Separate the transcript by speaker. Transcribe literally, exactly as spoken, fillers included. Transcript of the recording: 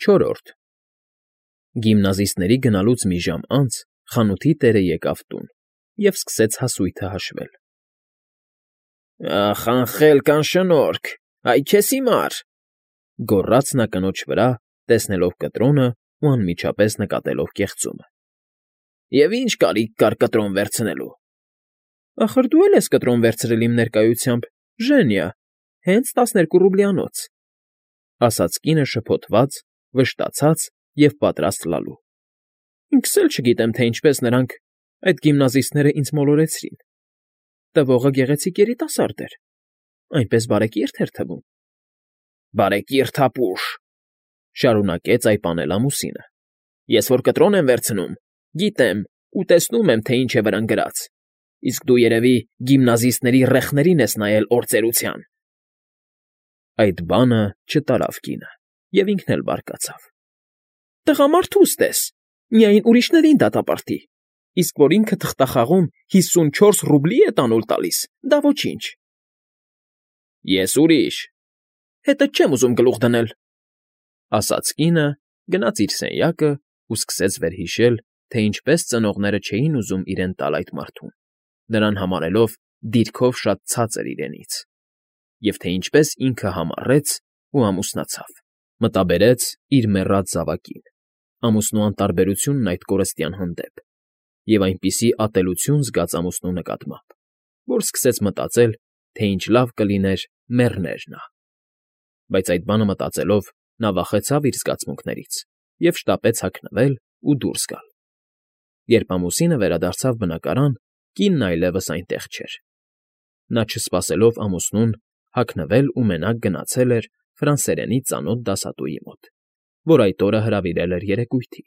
Speaker 1: Չորրորդ Գիմնազիստների գնալուց մի ժամ անց խանութի տերը եկավ տուն և սկսեց հասույթը հաշվել։ ֊ Ախ, անխելք, անշնորհք, այ քեզ հիմար,֊ գոռաց նա կնոջ վրա, տեսնելով կտրոնն ու անմիջապես նկատելով կեղծումը։֊ Եվ ի՞նչ կարիք կար կտրոն վերցնելու։ ֊ Ախր դու էլ ես կտրոն վերցրել իմ ներկայությամբ, Ժենիա, հենց տասներկու ռուբլյանոց,֊ ասաց կինը շփոթված, վշտացած և պատրաստ լալու։ ֊ Ինքս էլ չգիտեմ, թե ինչպես նրանք, այդ գիմնազիստները ինձ մոլորեցրին. տվողը գեղեցիկ երիտասարդ էր, այնպես բարեկիրթ էր թվում։ ֊ Բարեկիրթ ապուշ,֊ շարունակեց այպանել ամուսինը,֊ ես որ կտրոն եմ վերցնում, գիտեմ ու տեսնում եմ, թե ինչ է վրան գրած, իսկ դու, երևի, գիմնազիստների ռեխներին ես նայել օրծերության… Այդ բանը չտարավ կինը, և ինքն էլ բարկացավ։ ֊ Տղամարդուս տես, միայն ուրիշներին դատապարտի, իսկ որ ինքը թղթախաղում հիսունչորս ռուբլի է տանուլ տալիս, դա ոչինչ։ ֊ Ես ուրիշ… Հետդ չեմ ուզում գլուխ դնել,֊ ասաց կինը, գնաց իր սենյակն ու սկսեց վերհիշել, թե ինչպես ծնողները չէին ուզում իրեն տալ այդ մարդուն, նրան համարելով դիրքով շատ ցածր իրենից, և թե ինչպես ինքը համառեց ու ամուսնացավ, մտաբերեց իր մեռած զավակին, ամուսնու անտարբերությունն այդ կորստյան հանդեպ, և այնպիսի ատելություն զգաց ամուսնու նկատմամբ, որ սկսեց մտածել, թե ինչ լավ կլիներ մեռներ նա… Բայց այդ բանը մտածելով՝ նա վախեցավ իր զգացմունքներից և շտապեց հագնվել ու դուրս գալ։ Երբ ամուսինը վերադարձավ բնակարան, կինն այլևս այնտեղ չէր։ Նա, չսպասելով ամուսնուն, հագնվել ու մենակ գնացել էր ֆրանսերենի ծանոթ դասատուի մոտ, որ այդ օրը հրավիրել էր երեկույթի։